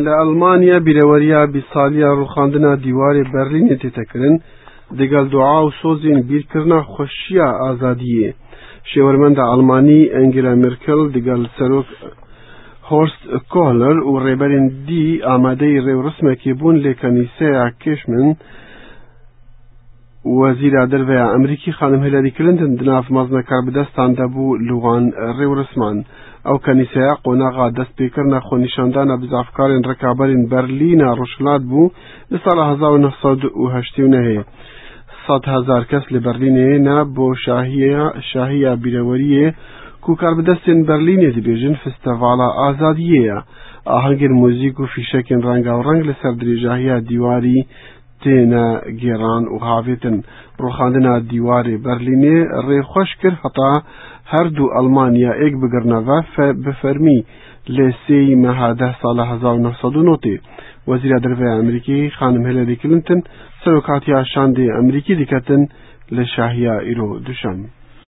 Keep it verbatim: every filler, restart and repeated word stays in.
Li Almanya bîreweriya bîst saliya rûxandina dîwarê Berlînê tête kirin, digel dua û sozên bîrkirina xweşiya azadiyê. Şêwermenda Almanî Angela Merkel digel serok Horst Kohler û rêberên dî amadeyî rêwrismekê bûn lê kenîseya Kirchmehn Wezîra Derve ya Amerîkî xanim Hillary Clinton di nav mezne karbidestan de bû li wan rêwrisman. Ew kenîseya qonaxa destpêkirina xwenîşandana bizavkarên rikaberên Berlîna Rojhilat bû li sala hezar û neh sed û heştê û nehê. Sed hezar kes li Berlînê ne bo şahiya, şahiya bîreweriyê ku karbidestên Berlînê dibêjin Festivala Azadiyê ye. Ahengên muzîk û fîşekên rengawereng li ser dirêjahiya dîwarî têne gêran û havêtin. Rûxandina dîwarê Berlînê rê xweş kir heta her du Almanya êk bigirine ve fe-, bi fermî lê sêyî meha deh sala hezar û neh sed û notê. Wezîra Derve ya Amerîkî xanim Hillary Clinton serokatiya şandê Amerîkî diketin li şahiya îro duşem.